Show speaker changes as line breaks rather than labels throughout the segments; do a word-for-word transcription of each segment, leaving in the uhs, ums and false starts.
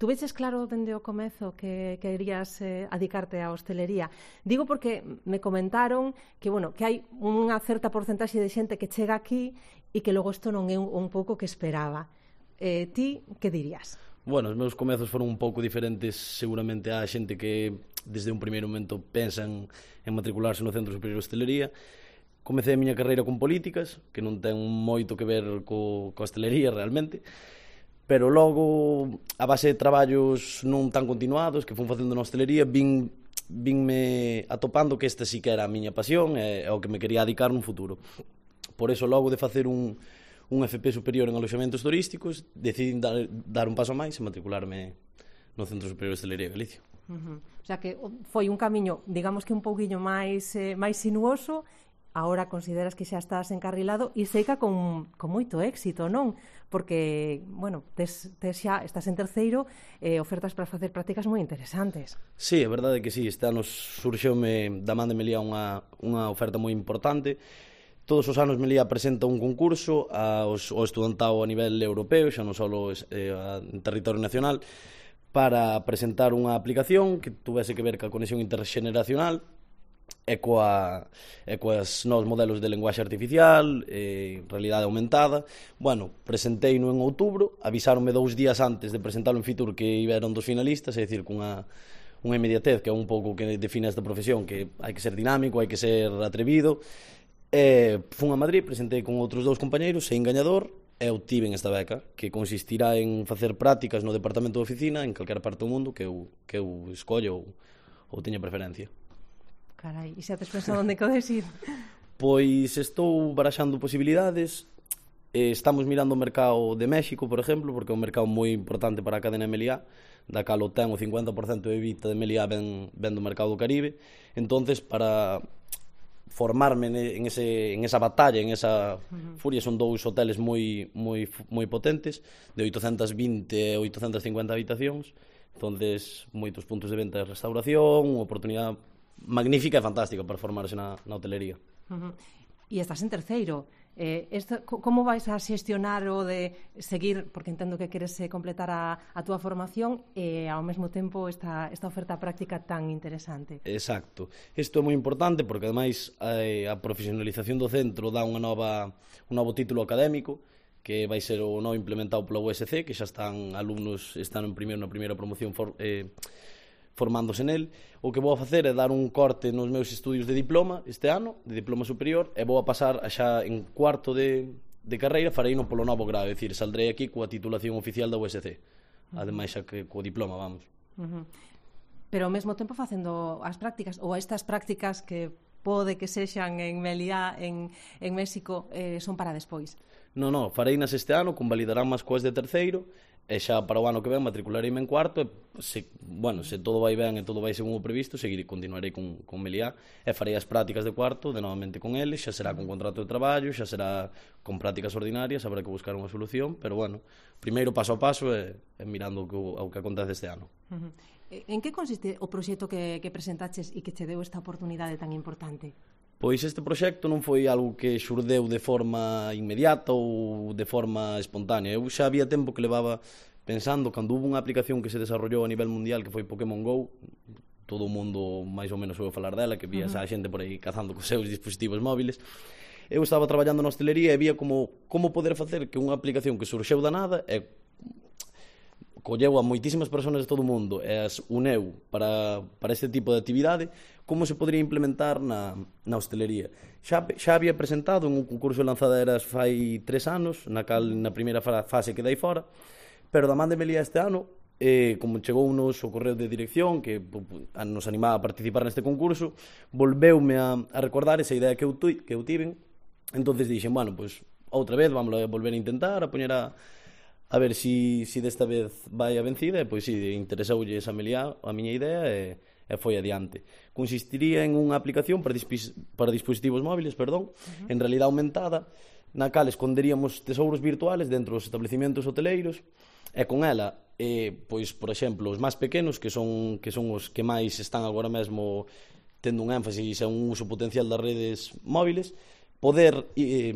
Tuveches claro dende o comezo que querías eh, adicarte á hostelería? Digo porque me comentaron que, bueno, que hai unha certa porcentaxe de xente que chega aquí e que logo isto non é un, un pouco que esperaba. Eh, ti, que dirías?
Bueno, os meus comezos foron un pouco diferentes seguramente á xente que desde un primeiro momento pensan en matricularse no Centro Superior de Hostelería. Comecei a miña carreira con políticas, que non ten moito que ver co, co hostelería realmente, pero logo, a base de traballos non tan continuados que fun facendo na hostelería, vin, vinme atopando que esta sí que era a miña pasión e ao que me quería dedicar nun futuro. Por eso, logo de facer un, un F P superior en aloxamentos turísticos, decidí dar, dar un paso máis e matricularme no Centro Superior de Hostelería de Galicia.
Uh-huh. O sea que foi un camiño, digamos que un pouquiño máis, eh, máis sinuoso. Ahora consideras que xa estás encarrilado e seica con, con moito éxito, non? Porque, bueno, tes, tes xa, estás en terceiro, eh, ofertas para facer prácticas moi interesantes.
Sí, é verdade que sí, este ano surxeume da man de Melía unha, unha oferta moi importante. Todos os anos Melía presenta un concurso aos, ao estudantado a nivel europeo, xa non só eh, en territorio nacional, para presentar unha aplicación que tuvese que ver ca conexión interxeneracional e, coa, e coas novos modelos de lenguaxe artificial, e realidade aumentada. Bueno, presenteino en outubro, avisáronme dous días antes de presentarlo en Fitur que iberon dos finalistas, é dicir, cunha unha inmediatez que é un pouco que define esta profesión, que hai que ser dinámico, hai que ser atrevido. E fun a Madrid, presentei con outros dous compañeiros, sein gañador, e obtiven esta beca, que consistirá en facer prácticas no departamento de oficina en calquera parte do mundo que eu, que eu escollo ou, ou teña preferencia.
Carai, e xa tes pensado onde podes ir?
Pois estou baraxando posibilidades. Eh, estamos mirando o mercado de México, por exemplo, porque é un mercado moi importante para a cadena Meliá, da cal o ten o cincuenta por cento de EBITDA de Meliá ven, ven do mercado do Caribe. Entonces, para formarme en, ese, en esa batalla, en esa uh-huh. furia, son dous hoteles moi, moi, moi potentes, de oitocentas vinte e oitocentas cincuenta habitacións. Entonces, moitos puntos de venta de restauración, unha oportunidade magnífica e fantástica para formarse na, na hotelería.
Uh-huh. E estás en terceiro. Eh, esto, como vais a xestionar o de seguir, porque entendo que queres eh, completar a, a túa formación e ao mesmo tempo esta, esta oferta práctica tan interesante?
Exacto. Isto é moi importante porque ademais eh, a profesionalización do centro dá unha nova, un novo título académico que vai ser o novo implementado pola U S C, que xa están alumnos, están en primeiro na primeira promoción for, eh, formándose nel. O que vou a facer é dar un corte nos meus estudios de diploma este ano, de diploma superior, e vou a pasar a xa en cuarto de, de carreira, farei no polo novo grado, é dicir, saldrei aquí coa titulación oficial da U S C, ademais xa que co diploma, vamos.
Uh-huh. Pero ao mesmo tempo facendo as prácticas, ou estas prácticas que pode que sexan en Meliá, en, en México, eh, son para despois?
Non, non, farei nas este ano, convalidarán máis coas de terceiro, e xa para o ano que ven matriculareime en cuarto, e se, bueno, se todo vai ben e todo vai según o previsto, seguirei, continuarei con, con Meliá e farei as prácticas de cuarto de novamente con eles, xa será con contrato de traballo, xa será con prácticas ordinarias, habrá que buscar unha solución, pero bueno, primeiro paso a paso e, e mirando o que, o que acontece este ano.
Uh-huh. En que consiste o proxecto que, que presentaches e que che deu esta oportunidade tan importante?
Pois este proxecto non foi algo que xurdeu de forma inmediata ou de forma espontánea. Eu xa había tempo que levaba pensando, cando hubo unha aplicación que se desarrollou a nivel mundial que foi Pokémon Go, todo o mundo máis ou menos ouve falar dela, que vías uh-huh. a xente por aí cazando cos seus dispositivos móviles. Eu estaba traballando na hostelería e vía como, como poder facer que unha aplicación que surxeu da nada e colleu a moitísimas persoas de todo o mundo e as uneu para, para este tipo de actividade, como se podría implementar na, na hostelería. Xa, xa había presentado en un concurso de lanzaderas fai tres anos, na cal na primeira fase quedei fora, pero da man de Meliá este ano, eh, como chegounos o correo de dirección que nos animaba a participar neste concurso, volveume a, a recordar esa idea que eu, tu, que eu tiven. Entonces dixen, bueno, pues, outra vez, vamos a volver a intentar, a poñer a a ver si, si desta vez vai a vencida, e pois si, interesoulle esa Meliá a miña idea e, e foi adiante. Consistiría en unha aplicación para, dispis, para dispositivos móviles, perdón, uh-huh. en realidade aumentada, na cal esconderíamos tesouros virtuales dentro dos establecimentos hoteleiros, e con ela, eh, pois, por exemplo, os máis pequenos, que son, que son os que máis están agora mesmo tendo un énfasis e un uso potencial das redes móviles, poder eh,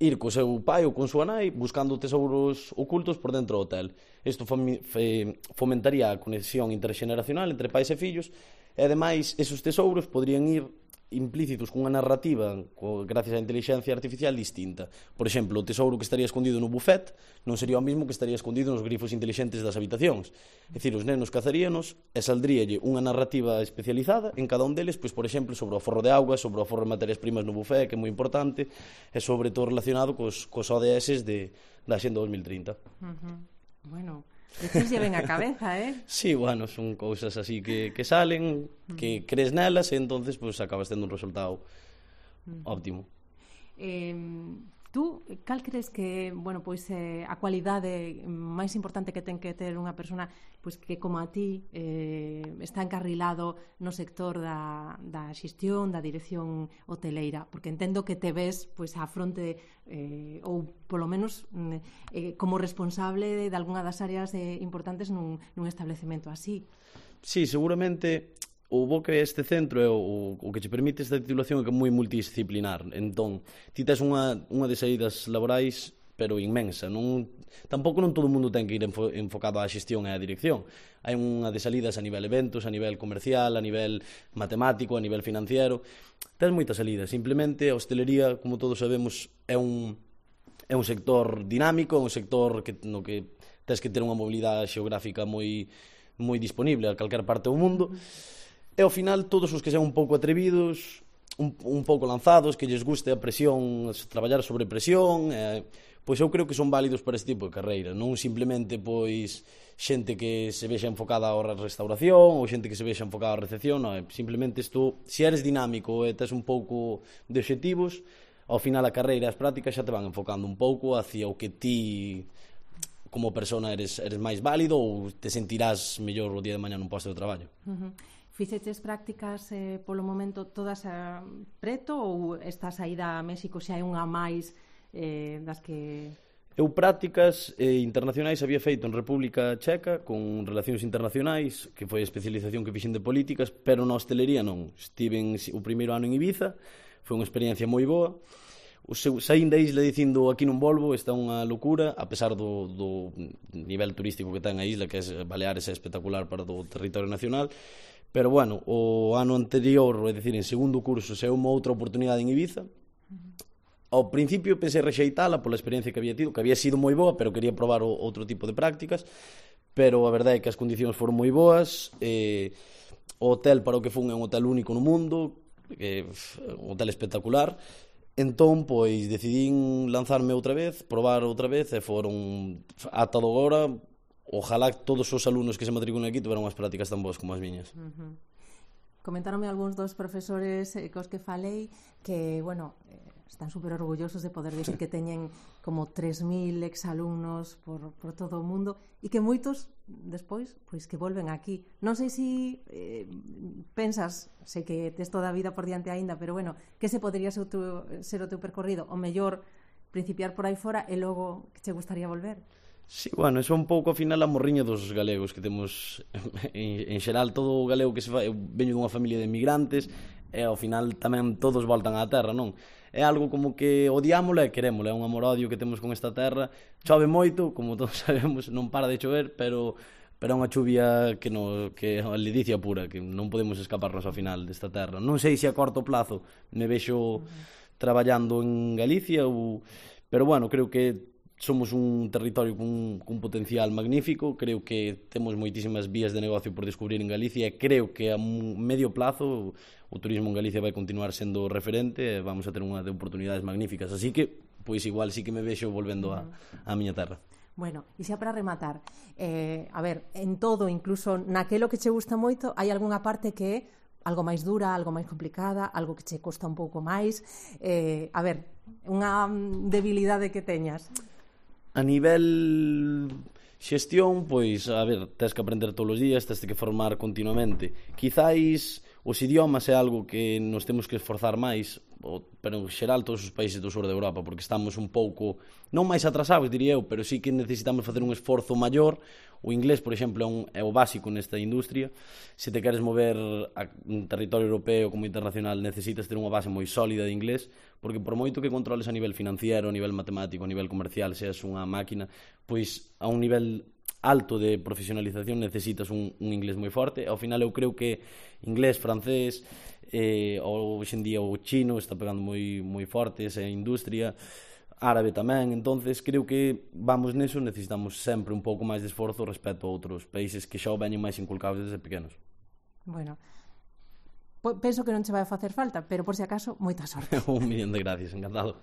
ir co seu pai ou con súa nai buscando tesouros ocultos por dentro do hotel. Isto fomentaría a conexión interxeneracional entre pais e fillos, e ademais esos tesouros poderían ir implícitos cunha narrativa co, gracias á inteligencia artificial distinta. Por exemplo, o tesouro que estaría escondido no buffet non sería o mesmo que estaría escondido nos grifos inteligentes das habitacións. É dicir, os nenos cazaríanos e saldríalle unha narrativa especializada en cada un deles, pois, por exemplo, sobre o aforro de auga, sobre o aforro de materias primas no buffet, que é moi importante, e sobre todo relacionado cos, cos O D S de, da Axenda dos mil trinta.
Uh-huh. Bueno, despois lle ven a cabeza, eh?
Sí, bueno, son cousas así que, que salen, que crees nelas e entonces pues, acabas tendo un resultado óptimo.
Eh, tú, cal crees que, bueno, pois eh, a cualidade máis importante que ten que ter unha persona pois que como a ti eh, está encarrilado no sector da, da xestión, da dirección hoteleira, porque entendo que te ves pois á fronte eh, ou polo menos eh, como responsable de algunha das áreas eh, importantes nun, nun establecemento así.
Sí, seguramente o bo que este centro é o, o que che permite esta titulación é que é moi multidisciplinar. Entón, ti tes unha, unha de saídas laborais pero inmensa. Non, tampouco non todo o mundo ten que ir enfo, enfocado á xestión e á dirección. Hai unha de salidas a nivel eventos, a nivel comercial, a nivel matemático, a nivel financiero. Tens moitas salidas. Simplemente a hostelería, como todos sabemos, é un, é un sector dinámico, é un sector que, no que tens que ter unha mobilidade xeográfica moi, moi disponible a calquer parte do mundo. E ao final todos os que sean un pouco atrevidos, un, un pouco lanzados, que lles guste a presión, traballar sobre presión, eh, pois eu creo que son válidos para este tipo de carreira, non simplemente pois xente que se vexa enfocada á restauración ou xente que se vexa enfocada á recepción, non, simplemente isto, se eres dinámico e tes un pouco de obxectivos, ao final a carreira e as prácticas xa te van enfocando un pouco hacia o que ti como persona eres, eres máis válido ou te sentirás mellor o día de mañá nun posto de traballo.
Uh-huh. Fixeches prácticas eh, polo momento todas a preto ou esta saída a México xa hai unha máis eh, das que...
Eu prácticas eh, internacionais había feito en República Checa con relacións internacionais, que foi a especialización que fixen de políticas, pero na hostelería non. Estiven o primeiro ano en Ibiza, foi unha experiencia moi boa. O seu, saín da isla dicindo aquí non volvo, está unha locura, a pesar do, do nivel turístico que ten a isla, que é Baleares é espectacular para o territorio nacional. Pero, bueno, o ano anterior, é dicir, en segundo curso, se uma outra oportunidade en Ibiza. Ao principio pensei rexeitala pola experiencia que había tido, que había sido moi boa, pero quería probar o, outro tipo de prácticas, pero a verdade é que as condicións foron moi boas, eh, o hotel para o que fun é un hotel único no mundo, que, un hotel espectacular, entón, pois, decidín lanzarme outra vez, probar outra vez, e foron, ata do agora, ojalá todos os alumnos que se matriculen aquí tuveran unhas prácticas tan boas como as miñas.
Uh-huh. Comentaronme algúns dos profesores eh, cos que falei que, bueno, eh, están super orgullosos de poder dicir que teñen como tres mil exalumnos por, por todo o mundo e que moitos despois, pois que volven aquí. Non sei se eh, pensas, sei que tes toda a vida por diante aínda, pero bueno, que se podría ser o teu, ser o teu percorrido? O mellor principiar por aí fora e logo que te gustaría volver?
Sí, bueno, eso é un pouco ao final a morriña dos galegos que temos en, en xeral, todo o galego que se fai, eu veño dunha familia de emigrantes e ao final tamén todos voltan á terra, non? É algo como que odiámola e querémola, é un amor-odio que temos con esta terra. Chove moito, como todos sabemos, non para de chover, pero pero é unha chuvia que, no, que é a ledicia pura, que non podemos escaparnos ao final desta terra. Non sei se a corto plazo me vexo traballando en Galicia ou... pero bueno, creo que somos un territorio con, con un potencial magnífico, creo que temos moitísimas vías de negocio por descubrir en Galicia e creo que a medio plazo o turismo en Galicia vai continuar sendo referente e vamos a ter unha de oportunidades magníficas, así que, pois igual sí que me vexo volvendo a, a miña terra.
Bueno, e xa para rematar, eh, a ver, en todo, incluso naquelo que che gusta moito, hai algunha parte que é algo máis dura, algo máis complicada, algo que che costa un pouco máis, eh, a ver, unha debilidade que teñas.
A nivel xestión, pois, a ver, tens que aprender todos os días, tens que formar continuamente. Quizáis os idiomas é algo que nos temos que esforzar máis, pero en xeral todos os países do sur de Europa, porque estamos un pouco, non máis atrasados, diría eu, pero sí que necesitamos facer un esforzo maior. O inglés, por exemplo, é, un, é o básico nesta industria. Se te queres mover a un territorio europeo como internacional, necesitas ter unha base moi sólida de inglés, porque por moito que controles a nivel financiero, a nivel matemático, a nivel comercial, seas unha máquina, pois a un nivel alto de profesionalización necesitas un, un inglés moi forte. Ao final eu creo que inglés, francés, eh, ou hoxe en día o chino está pegando moi, moi forte esa industria, árabe tamén. Entonces creo que vamos neso, necesitamos sempre un pouco máis de esforzo respecto a outros países que xa o veñen máis inculcados desde pequenos.
Bueno, penso que non che vai facer falta, pero por si acaso, moita sorte.
Un millón de gracias, encantado.